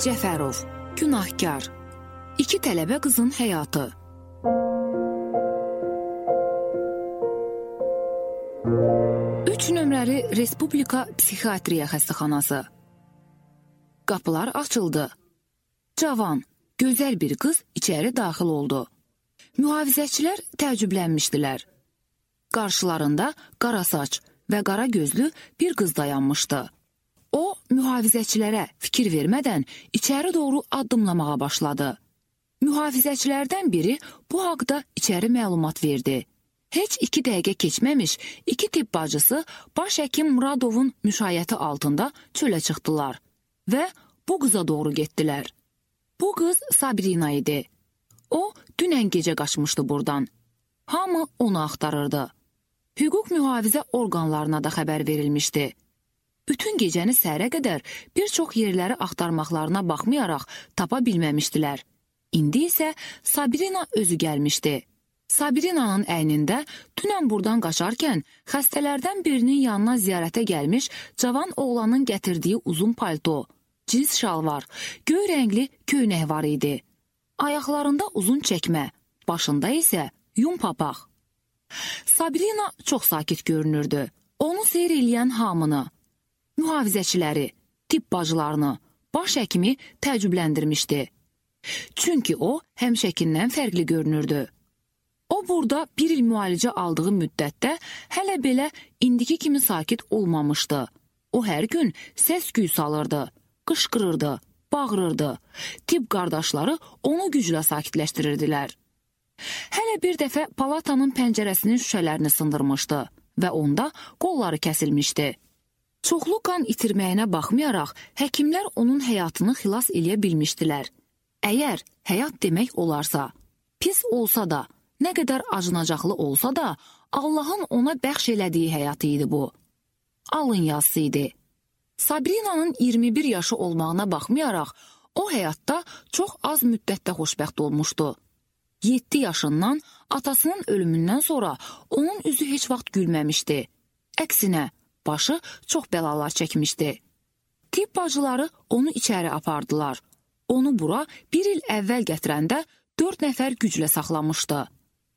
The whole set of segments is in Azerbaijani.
Cəfərov, Günahkar, 2 tələbə qızın həyatı. 3 nömrəli Respublika Psixiatriya xəstəxanası. Qapılar açıldı. Cavan, gözəl bir qız içəri daxil oldu. Mühafizəçilər təəccüblənmişdilər. Qarşılarında qara saç və qara gözlü bir qız dayanmışdı. O, mühafizəçilərə fikir vermədən içəri doğru addımlamağa başladı. Mühafizəçilərdən biri bu haqda içəri məlumat verdi. Heç 2 dəqiqə keçməmiş 2 tibb bacısı baş həkim Muradovun müşayiəti altında çölə çıxdılar və bu qıza doğru getdilər. Bu qız Sabrina idi. O, dünən gecə qaçmışdı buradan. Hamı onu axtarırdı. Hüquq mühafizə orqanlarına da xəbər verilmişdi. Bütün gecəni səhərə qədər bir çox yerləri axtarmaqlarına baxmayaraq tapa bilməmişdilər. İndi isə Sabrina özü gəlmişdi. Sabrinanın əynində dünən buradan qaçarkən xəstələrdən birinin yanına ziyarətə gəlmiş cavan oğlanın gətirdiyi uzun palto, cins şalvar, göy rəngli köynək var idi. Ayaqlarında uzun çəkmə, başında isə yun papaq. Sabrina çox sakit görünürdü. Onu seyr eləyən hamını, mühafizəçiləri, tibb bacılarını, baş həkimi təəccübləndirmişdi. Çünki o, həmişəkindən fərqli görünürdü. O, burada 1 il müalicə aldığı müddətdə hələ belə indiki kimi sakit olmamışdı. O, hər gün səs-küy salırdı, qışqırırdı, bağırırdı. Tibb qardaşları onu güclə sakitləşdirirdilər. Hələ bir dəfə palatanın pəncərəsinin şüşələrini sındırmışdı və onda qolları kəsilmişdi. Çoxlu qan itirməyinə baxmayaraq, həkimlər onun həyatını xilas eləyə bilmişdilər. Əgər həyat demək olarsa, pis olsa da, nə qədər acınacaqlı olsa da, Allahın ona bəxş elədiyi həyatı idi bu. Alın yazısı idi. Sabrinanın 21 yaşı olmağına baxmayaraq, o həyatda çox az müddətdə xoşbəxt olmuşdu. 7 yaşından atasının ölümündən sonra onun üzü heç vaxt gülməmişdi. Əksinə, başı çox bəlalar çəkmişdi. Tibb bacıları onu içəri apardılar. Onu bura 1 il əvvəl gətirəndə 4 nəfər güclə saxlamışdı.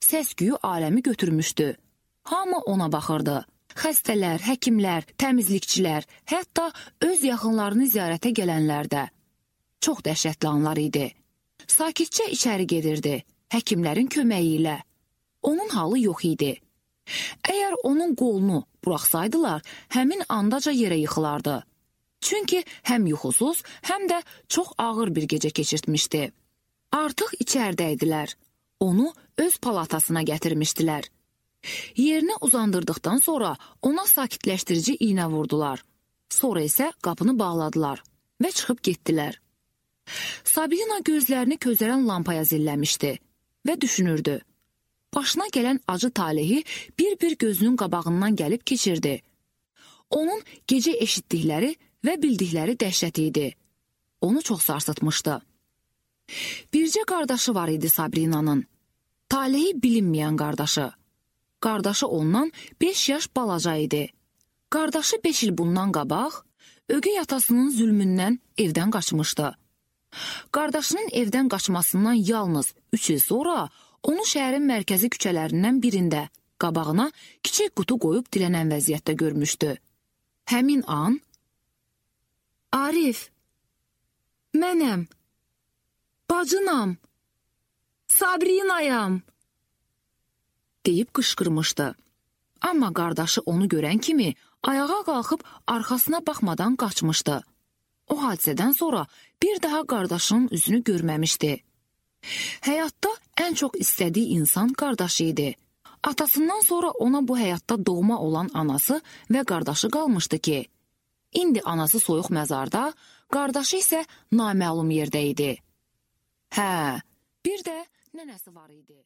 Səs-küyü aləmi götürmüşdü. Hamı ona baxırdı. Xəstələr, həkimlər, təmizlikçilər, hətta öz yaxınlarını ziyarətə gələnlər də. Çox dəhşətli anlar idi. Sakitcə içəri gedirdi, həkimlərin köməyi ilə. Onun halı yox idi. Əgər onun qolunu buraxsaydılar, həmin andaca yerə yıxılardı. Çünki həm yuxusuz, həm də çox ağır bir gecə keçirtmişdi. Artıq içəridə idilər. Onu öz palatasına gətirmişdilər. Yerinə uzandırdıqdan sonra ona sakitləşdirici iynə vurdular. Sonra isə qapını bağladılar və çıxıb getdilər. Sabrina gözlərini közərən lampaya zilləmişdi və düşünürdü. Başına gələn acı talehi bir-bir gözünün qabağından gəlib keçirdi. Onun gecə eşitdikləri və bildikləri dəhşət idi. Onu çox sarsıtmışdı. Bircə qardaşı var idi Sabrinanın. Talehi bilinməyən qardaşı. Qardaşı ondan 5 yaş balaca idi. Qardaşı 5 il bundan qabaq, ögey atasının zülmündən evdən qaçmışdı. Qardaşının evdən qaçmasından yalnız 3 il sonra onu şəhərin mərkəzi küçələrindən birində qabağına kiçik qutu qoyub dilənən vəziyyətdə görmüşdü. Həmin an, Arif, mənəm, bacınam, Sabrinayam, deyib qışqırmışdı. Amma qardaşı onu görən kimi ayağa qalxıb arxasına baxmadan qaçmışdı. O hadisədən sonra bir daha qardaşının üzünü görməmişdi. Həyatda ən çox istədiyi insan qardaşı idi. Atasından sonra ona bu həyatda doğma olan anası və qardaşı qalmışdı ki, indi anası soyuq məzarda, qardaşı isə naməlum yerdə idi. Hə, bir də nənəsi var idi.